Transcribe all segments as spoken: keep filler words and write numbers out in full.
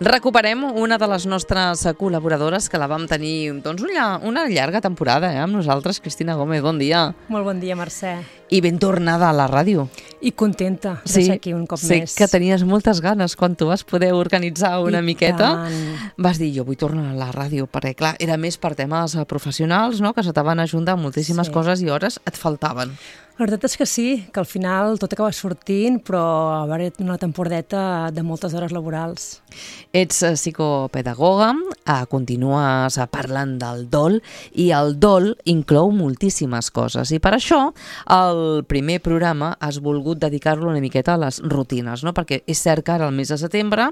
Recuperem una de les nostres col·laboradores que la vam tenir doncs, una llarga temporada eh, amb nosaltres, Cristina Gómez. Bon dia. Molt bon dia, Mercè. I ben tornada a la ràdio. I contenta de sí, ser aquí un cop sé més. Sí, que tenies moltes ganes quan tu vas poder organitzar una I miqueta. Tant. Vas dir, jo vull tornar a la ràdio, perquè clar, era més per temes professionals, no? Que se t'han ajuntat moltíssimes Sí. coses i hores et faltaven. La veritat és que sí, que al final tot acaba sortint, però a veure, una temporadeta de moltes hores laborals. Ets psicopedagoga, eh, continues parlant del dol i el dol inclou moltíssimes coses i per això el primer programa has volgut dedicar-lo una miqueta a les rutines, no? Perquè és cert que ara al mes de setembre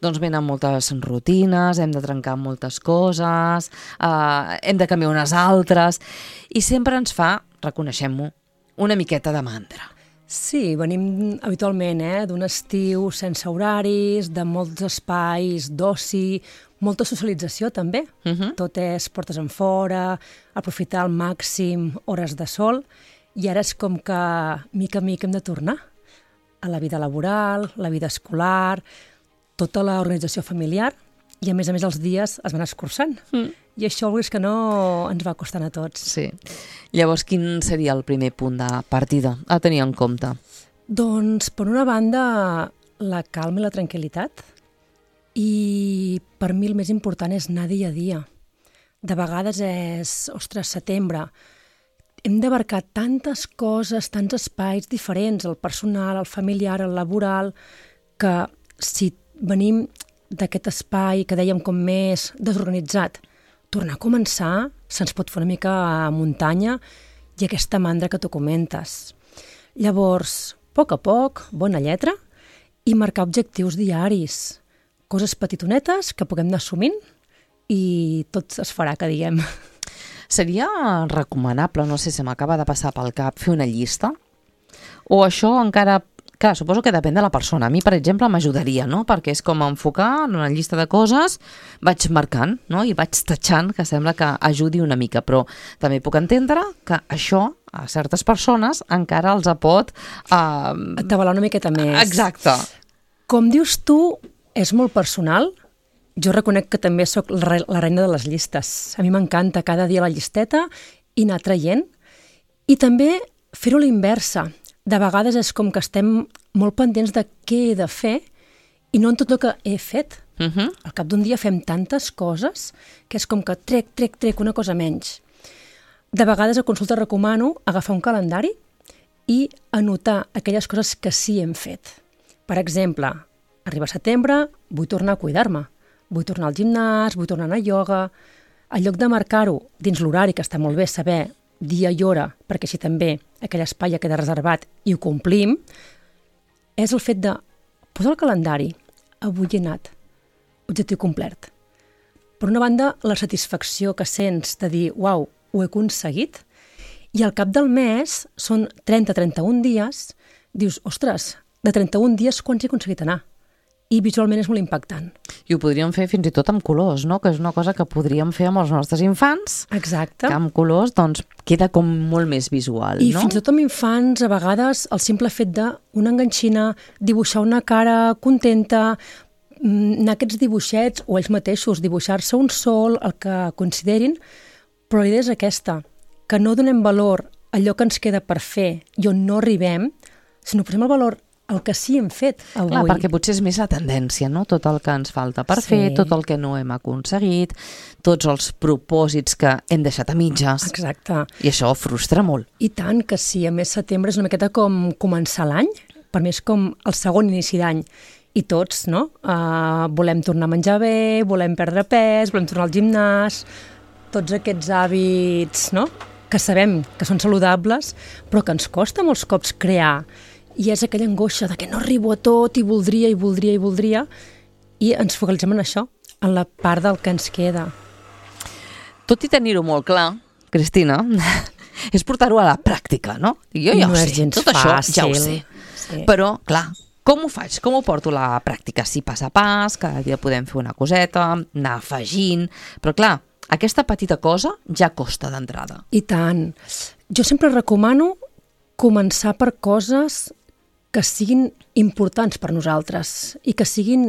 doncs venen moltes rutines, hem de trencar moltes coses, eh, hem de canviar unes altres i sempre ens fa, reconeixem-ho, una miqueta de mandra. Sí, venim habitualment eh, d'un estiu sense horaris, de molts espais d'oci, molta socialització també. Uh -huh. Tot és portes enfora, aprofitar al màxim hores de sol, i ara és com que mica a mica hem de tornar a la vida laboral, la vida escolar, tota l'organització familiar, i a més a més els dies es van escurçant. Mm. I això, vulguis que no, ens va costant a tots. Sí. Llavors, quin seria el primer punt de partida a tenir en compte? Doncs, per una banda, la calma i la tranquil·litat. I per mi el més important és anar dia a dia. De vegades és, ostres, setembre, hem d'abarcar tantes coses, tants espais diferents, el personal, el familiar, el laboral, que si venim d'aquest espai que dèiem com més desorganitzat, tornar a començar se'ns pot fer una mica a muntanya i aquesta mandra que tu comentes. Llavors, a poc a poc, bona lletra, i marcar objectius diaris, coses petitonetes que puguem anar assumint i tot es farà, que diguem. Seria recomanable, no sé si m'acaba de passar pel cap, fer una llista? O això encara... Clar, suposo que depèn de la persona. A mi, per exemple, m'ajudaria, no? Perquè és com enfocar en una llista de coses, vaig marcant, no? I vaig tatxant, que sembla que ajudi una mica. Però també puc entendre que això a certes persones encara els pot... Uh... Atabalar una miqueta més. Exacte. Com dius tu, és molt personal. Jo reconec que també sóc la reina de les llistes. A mi m'encanta cada dia la llisteta i anar traient. I també fer-ho a la inversa. De vegades és com que estem molt pendents de què he de fer i no en tot el que he fet. Uh -huh. Al cap d'un dia fem tantes coses que és com que trec, trec, trec una cosa menys. De vegades a consulta recomano agafar un calendari i anotar aquelles coses que sí hem fet. Per exemple, arriba setembre, vull tornar a cuidar-me, vull tornar al gimnàs, vull tornar a anar a ioga. En lloc de marcar-ho dins l'horari, que està molt bé saber dia i hora, perquè així també aquell espai ja queda reservat i ho complim, és el fet de posar el calendari. Avui he anat. Objectiu complert. Per una banda, la satisfacció que sents de dir, uau, ho he aconseguit, i al cap del mes, són trenta a trenta-un dies, dius, ostres, de trenta-un dies quants he aconseguit anar? I visualment és molt impactant. I ho podríem fer fins i tot amb colors, no? Que és una cosa que podríem fer amb els nostres infants. Exacte. Que amb colors, doncs, queda com molt més visual, I no? I fins i tot amb infants, a vegades, el simple fet d'una enganxina, dibuixar una cara contenta, anar aquests dibuixets, o ells mateixos, dibuixar-se un sol, el que considerin, però la idea és aquesta, que no donem valor a allò que ens queda per fer i on no arribem, sinó posem el valor el que sí hem fet avui. Clar, perquè potser és més la tendència, no? Tot el que ens falta per sí. fer, tot el que no hem aconseguit, tots els propòsits que hem deixat a mitges. Exacte. I això frustra molt. I tant, que sí, a més setembre és una miqueta com començar l'any, per mi és com el segon inici d'any. I tots, no? Uh, volem tornar a menjar bé, volem perdre pes, volem tornar al gimnàs, tots aquests hàbits, no? Que sabem que són saludables, però que ens costa molts cops crear. I és aquella angoixa de que no arribo a tot i voldria i voldria i voldria, i ens focalitzem en això, en la part del que ens queda. Tot i tenir-ho molt clar, Cristina, és portar-ho a la pràctica, no? Jo ja no ho sé, és gens tot això fàcil. ja ho sé. Sí. Però, clar, com ho faig? Com ho porto a la pràctica? Sí, pas a pas, cada dia podem fer una coseta, anar afegint, però clar, aquesta petita cosa ja costa d'entrada. I tant. Jo sempre recomano començar per coses que siguin importants per nosaltres i que siguin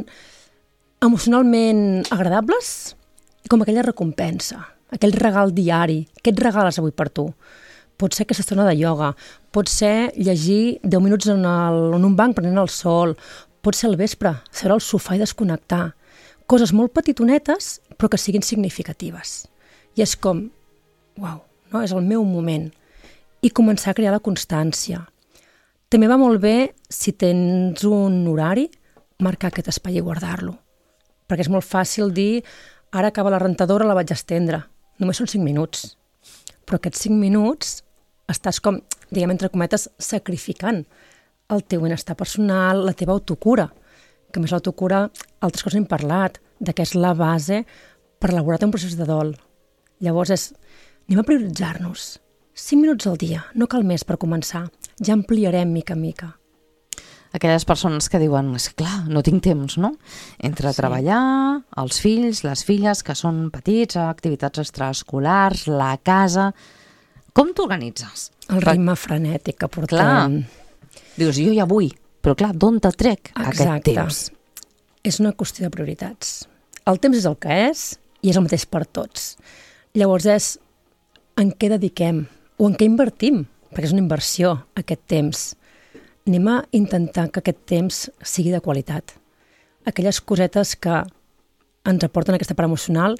emocionalment agradables i com aquella recompensa, aquell regal diari. Què et regales avui per tu? Pot ser aquesta estona de ioga, pot ser llegir deu minuts en, el, en un banc prenent el sol, pot ser al vespre, seure al sofà i desconnectar. Coses molt petitonetes, però que siguin significatives. I és com, uau, no? És el meu moment. I començar a crear la constància. També va molt bé, si tens un horari, marcar aquest espai i guardar-lo. Perquè és molt fàcil dir, ara acaba la rentadora, la vaig estendre. Només són cinc minuts. Però aquests cinc minuts estàs com, diguem entre cometes, sacrificant el teu benestar personal, la teva autocura. Que a més l'autocura, altres coses hem parlat, de què és la base per elaborar un procés de dol. Llavors és, anem a prioritzar-nos. cinc minuts al dia, no cal més per començar. Ja ampliarem mica en mica. Aquelles persones que diuen, és clar, no tinc temps, no? Entre sí. treballar, els fills, les filles, que són petits, activitats extraescolars, la casa... Com t'organitzes? El ritme frenètic que portem. Clar, dius, jo ja vull, però clar, d'on te trec Exacte. aquest temps? És una qüestió de prioritats. El temps és el que és i és el mateix per tots. Llavors és en què dediquem o en què invertim, perquè és una inversió, aquest temps. Anem a intentar que aquest temps sigui de qualitat. Aquelles cosetes que ens aporten aquesta part emocional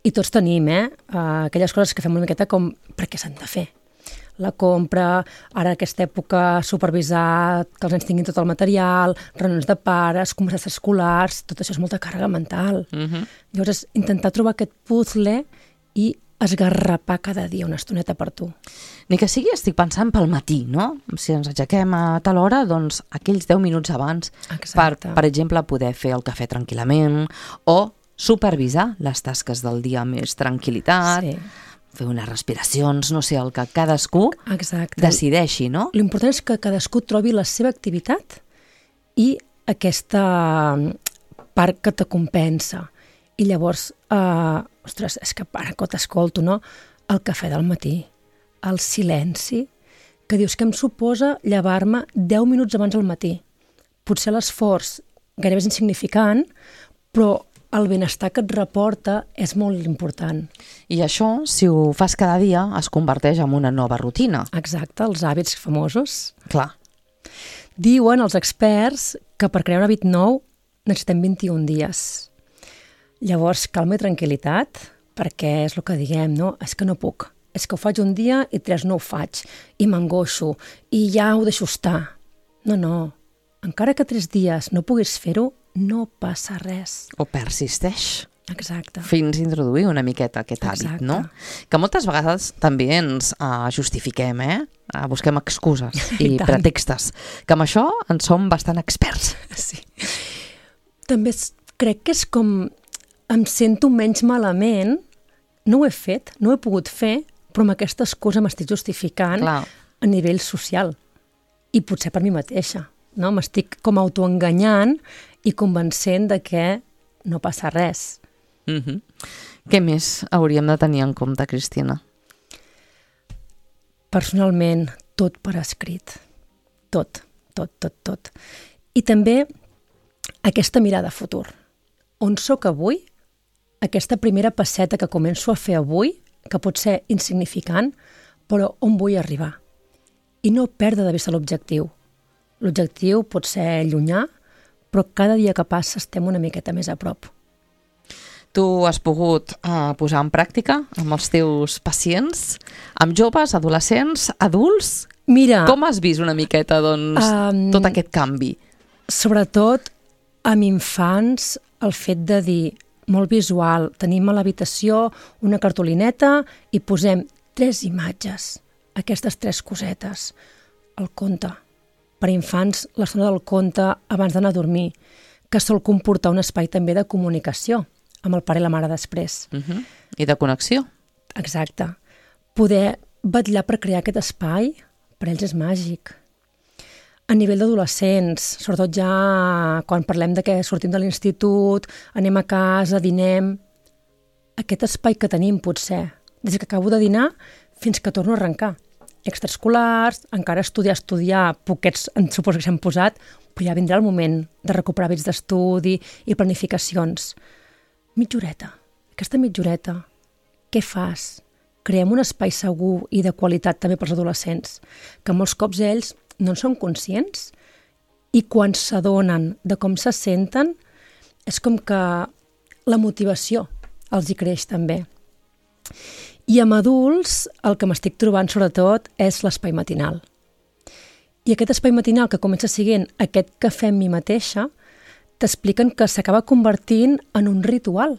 i tots tenim, eh? Uh, aquelles coses que fem una miqueta com per què s'han de fer. La compra, ara aquesta època supervisar que els nens tinguin tot el material, reunions de pares, converses escolars, tot això és molta càrrega mental. Uh-huh. Llavors és intentar trobar aquest puzzle i esgarrapar cada dia una estoneta per tu. Ni que sigui, estic pensant pel matí, no? Si ens aixequem a tal hora, doncs aquells deu minuts abans per, per exemple, poder fer el cafè tranquil·lament o supervisar les tasques del dia amb més tranquil·litat, sí. fer unes respiracions, no sé, el que cadascú Exacte. decideixi, no? L'important és que cadascú trobi la seva activitat i aquesta part que te compensa. I llavors, eh, ostres, és que ara que t'escolto, no? El cafè del matí, el silenci, que dius que em suposa llevar-me deu minuts abans al matí. Potser l'esforç gairebé és insignificant, però el benestar que et reporta és molt important. I això, si ho fas cada dia, es converteix en una nova rutina. Exacte, els hàbits famosos. Clar. Diuen els experts que per crear un hàbit nou necessitem vint-i-un dies. Llavors, calma i tranquil·litat, perquè és el que diguem, no? És que no puc. És que ho faig un dia i tres no ho faig. I m'angoixo. I ja ho deixo estar. No, no. Encara que tres dies no puguis fer-ho, no passa res. O persisteix. Exacte. Fins a introduir una miqueta aquest hàbit, Exacte. no? Que moltes vegades també ens uh, justifiquem, eh? Uh, busquem excuses i, i pretextes. Que amb això en som bastant experts. Sí. També crec que és com em sento menys malament, no ho he fet, no ho he pogut fer, però amb aquesta excusa m'estic justificant Clar. a nivell social. I potser per mi mateixa. No? M'estic com autoenganyant i convencent de que no passa res. Mm-hmm. Què més hauríem de tenir en compte, Cristina? Personalment, tot per escrit. Tot, tot, tot, tot. I també aquesta mirada a futur. On sóc avui? Aquesta primera passeta que començo a fer avui, que pot ser insignificant, però on vull arribar? I no perdre de vista l'objectiu. L'objectiu pot ser llunyà, però cada dia que passa estem una miqueta més a prop. Tu has pogut uh, posar en pràctica amb els teus pacients, amb joves, adolescents, adults? Mira, com has vist una miqueta doncs, um, tot aquest canvi? Sobretot amb infants, el fet de dir, molt visual, tenim a l'habitació una cartolineta i posem tres imatges, aquestes tres cosetes, el conte. Per infants, l'estona del conte abans d'anar a dormir, que sol comportar un espai també de comunicació amb el pare i la mare després. Uh-huh. I de connexió. Exacte. Poder vetllar per crear aquest espai, per ells és màgic. A nivell d'adolescents, sobretot ja quan parlem de que sortim de l'institut, anem a casa, dinem, aquest espai que tenim potser, des que acabo de dinar fins que torno a arrencar. extraescolars, encara estudiar, estudiar, poquets en suposo que s'han posat, però ja vindrà el moment de recuperar hàbits d'estudi i planificacions. Mitja horeta, aquesta mitja horeta, què fas? Creem un espai segur i de qualitat també pels adolescents, que molts cops ells no en són conscients i quan s'adonen de com se senten és com que la motivació els hi creix també. I amb adults el que m'estic trobant sobretot és l'espai matinal. I aquest espai matinal que comença sent aquest cafè amb mi mateixa, t'expliquen que s'acaba convertint en un ritual.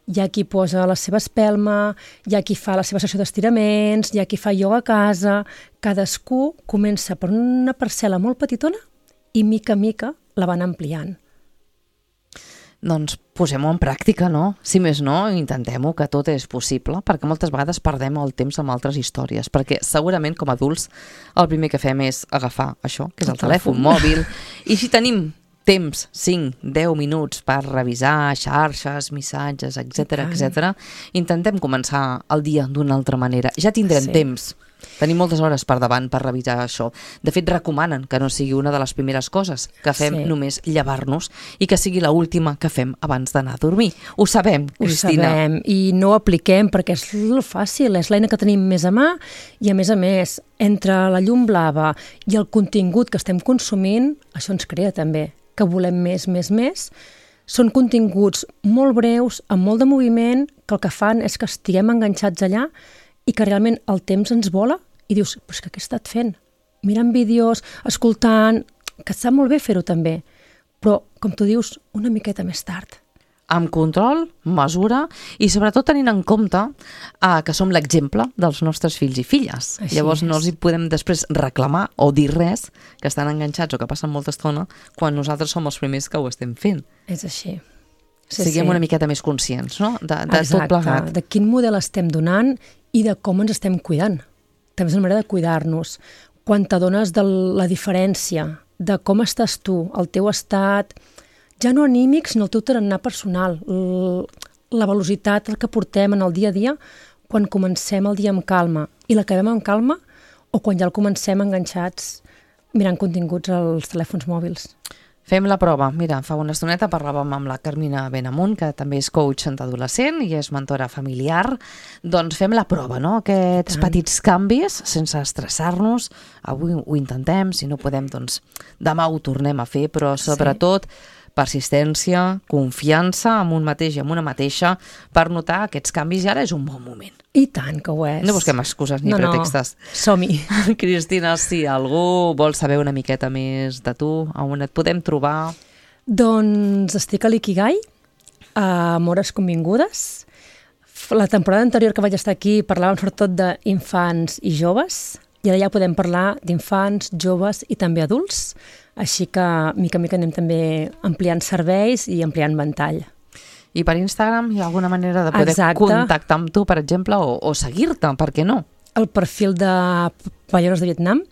Hi ha qui posa la seva espelma, hi ha qui fa la seva sessió d'estiraments, hi ha qui fa ioga a casa, cadascú comença per una parcel·la molt petitona i mica a mica la van ampliant. Doncs posem-ho en pràctica, no? Si més no, intentem-ho, que tot és possible, perquè moltes vegades perdem el temps amb altres històries, perquè segurament com a adults el primer que fem és agafar això, que és el, el telèfon mòbil, i si tenim temps, cinc, deu minuts per revisar xarxes, missatges, etcètera, etcètera, intentem començar el dia d'una altra manera. Ja tindrem sí. temps. Tenim moltes hores per davant per revisar això. De fet, recomanen que no sigui una de les primeres coses que fem sí. només llevar-nos i que sigui l'última que fem abans d'anar a dormir. Ho sabem, Cristina. Ho sabem i no ho apliquem perquè és fàcil, és l'eina que tenim més a mà i a més a més, entre la llum blava i el contingut que estem consumint, això ens crea també, que volem més, més, més. Són continguts molt breus, amb molt de moviment, que el que fan és que estiguem enganxats allà i que realment el temps ens vola i dius, però és que què he estat fent? Mirant vídeos, escoltant, que et sap molt bé fer-ho també, però, com tu dius, una miqueta més tard. Amb control, mesura i sobretot tenint en compte eh, que som l'exemple dels nostres fills i filles. Així Llavors és. No els hi podem després reclamar o dir res, que estan enganxats o que passen molta estona, quan nosaltres som els primers que ho estem fent. És així. Sí, Siguem sí. una miqueta més conscients, no? De, de tot plegat. De quin model estem donant i de com ens estem cuidant. També és una manera de cuidar-nos. Quan t'adones de la diferència, de com estàs tu, el teu estat, ja no anímic, sinó el teu tarannà personal, la velocitat que portem en el dia a dia, quan comencem el dia amb calma i l'acabem amb calma, o quan ja el comencem enganxats mirant continguts als telèfons mòbils. Fem la prova. Mira, fa una estoneta parlàvem amb la Carmina Benamunt, que també és coach d'adolescent i és mentora familiar. Doncs fem la prova, no? Aquests petits canvis, sense estressar-nos. Avui ho intentem, si no podem, doncs demà ho tornem a fer, però sobretot sí. persistència, confiança en un mateix i en una mateixa per notar aquests canvis i ara és un bon moment. I tant que ho és. No busquem excuses ni no, pretextes. No, som-hi. Cristina, si algú vol saber una miqueta més de tu, on et podem trobar? Doncs estic a l'Ikigai, a Mores Convingudes. La temporada anterior que vaig estar aquí parlàvem sobretot d'infants i joves, i ara ja podem parlar d'infants, joves i també adults, així que mica a mica anem també ampliant serveis i ampliant ventall. I per Instagram hi ha alguna manera de poder Exacte. contactar amb tu, per exemple, o, o seguir-te, per què no? El perfil de Pallaires de Vietnam.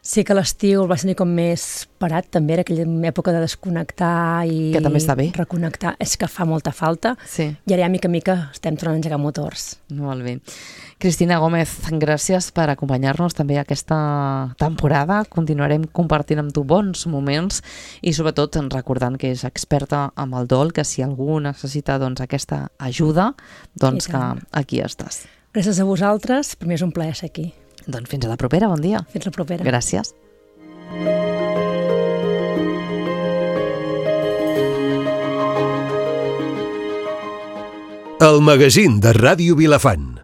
Sí que l'estiu el vaig tenir com més parat, també era aquella època de desconnectar i que també està bé. Reconnectar. És que fa molta falta sí. i ara ja mica a mica estem tornant a engegar motors. Molt bé. Cristina Gómez, gràcies per acompanyar-nos també aquesta temporada. Continuarem compartint amb tu bons moments i sobretot recordant que és experta amb el dol, que si algú necessita doncs, aquesta ajuda, doncs que aquí estàs. Gràcies a vosaltres, per mi és un plaer ser aquí. Doncs fins a la propera, bon dia. Fins la propera. Gràcies. El magazín de Ràdio Vilafant.